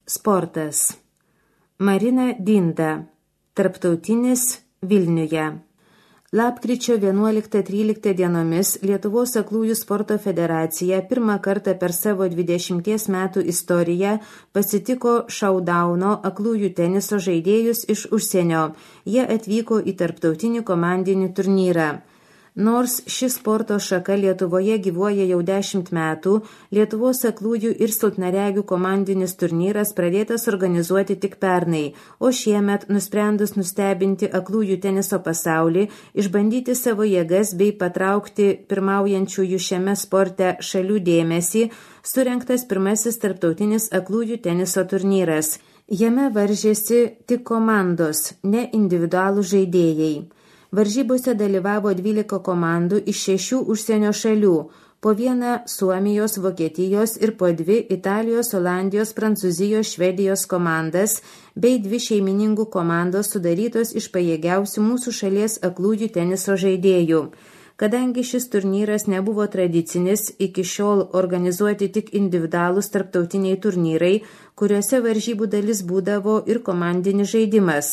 Sportas. Marina Dinda. Tarptautinis Vilniuje. Lapkričio 11-13 dienomis Lietuvos aklųjų sporto federacija pirmą kartą per savo 20 metų istoriją pasitiko šaudauno aklųjų teniso žaidėjus iš užsienio. Jie atvyko į tarptautinį komandinį turnyrą. Nors ši sporto šaka Lietuvoje gyvuoja jau 10 metų, Lietuvos aklųjų ir silpnaregių komandinis turnyras pradėtas organizuoti tik pernai, o šiemet, nusprendus nustebinti aklųjų teniso pasaulį, išbandyti savo jėgas bei patraukti pirmaujančiųjų šiame sporte šalių dėmesį, surengtas pirmasis tarptautinis aklųjų teniso turnyras. Jame varžėsi tik komandos, ne individualų žaidėjai. Varžybose dalyvavo 12 komandų iš 6 užsienio šalių, po 1 Suomijos, Vokietijos ir po 2 Italijos, Olandijos, Prancūzijos, Švedijos komandas, bei 2 šeimininkų komandos sudarytos iš pajėgiausių mūsų šalies aklųjų teniso žaidėjų. Kadangi šis turnyras nebuvo tradicinis, iki šiol organizuoti tik individualūs tarptautiniai turnyrai, kuriuose varžybų dalis būdavo ir komandinis žaidimas.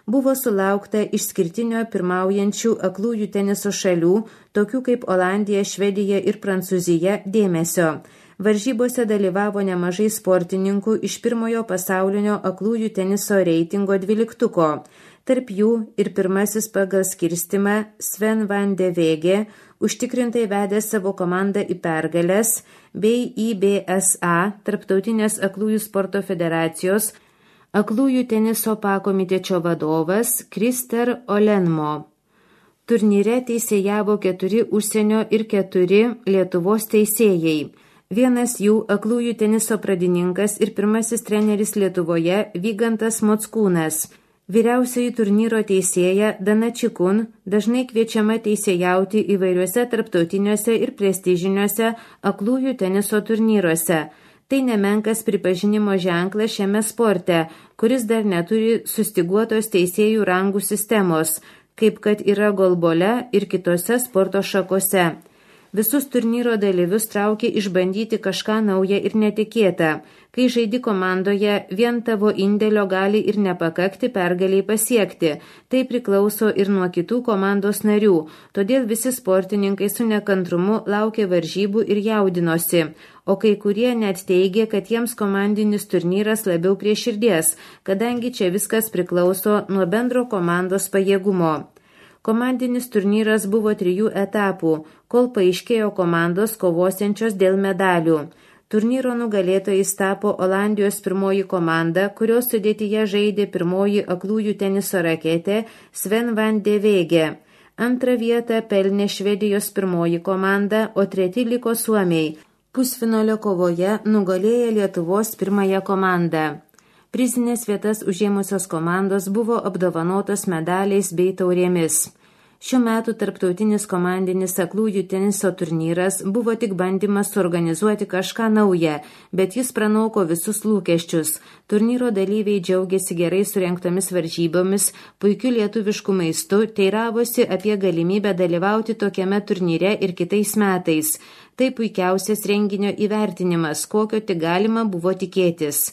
Buvo sulaukta išskirtinio pirmaujančių aklųjų teniso šalių, tokių kaip Olandija, Švedija ir Prancūzija, dėmesio. Varžybose dalyvavo nemažai sportininkų iš pirmojo pasaulinio aklųjų teniso reitingo 12-tuko. Tarp jų ir pirmasis pagal skirstimą Sven van de Vege, užtikrintai vedė savo komandą į pergales, bei IBSA, Tarptautinės aklųjų sporto federacijos, aklųjų teniso pakomitečio vadovas Krister Olenmo. Turnyre teisėjavo 4 užsienio ir 4 Lietuvos teisėjai. Vienas jų aklųjų teniso pradininkas ir pirmasis treneris Lietuvoje Vygantas Mockūnas. Vyriausioji turnyro teisėja Dana Čikun dažnai kviečiama teisėjauti įvairiuose tarptautiniuose ir prestižiniuose aklųjų teniso turnyruose. Tai nemenkas pripažinimo ženklas šiame sporte, kuris dar neturi sustyguotos teisėjų rangų sistemos, kaip kad yra golbole ir kitose sporto šakose. Visus turnyro dalyvius traukia išbandyti kažką naują ir netikėtą. Kai žaidi komandoje, vien tavo indėlio gali ir nepakakti pergaliai pasiekti. Tai priklauso ir nuo kitų komandos narių, todėl visi sportininkai su nekantrumu laukia varžybų ir jaudinosi. O kai kurie net teigia, kad jiems komandinis turnyras labiau prie širdies, kadangi čia viskas priklauso nuo bendro komandos pajėgumo. Komandinis turnyras buvo 3 etapų, kol paaiškėjo komandos kovosiančios dėl medalių. Turnyro nugalėtojais tapo Olandijos pirmoji komanda, kurios sudėtyje žaidė pirmoji aklųjų teniso raketė Sven van de Vege. Antrą vietą pelnė Švedijos pirmoji komanda, o 3 liko suomiai. Pusfinalio kovoje nugalėjo Lietuvos pirmąją komandą. Prizinės vietas užėmusios komandos buvo apdovanotos medaliais bei taurėmis. Šiuo metu tarptautinis komandinis aklųjų teniso turnyras buvo tik bandymas suorganizuoti kažką naują, bet jis pranoko visus lūkesčius. Turnyro dalyviai džiaugiasi gerai surengtomis varžybomis, puikiu lietuvišku maistu, teiravosi apie galimybę dalyvauti tokiame turnyre ir kitais metais. Tai puikiausias renginio įvertinimas, kokio tik galima buvo tikėtis.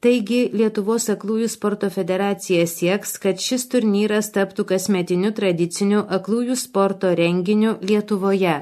Taigi, Lietuvos aklųjų sporto federacija sieks, kad šis turnyras taptų kasmetiniu tradiciniu aklųjų sporto renginiu Lietuvoje.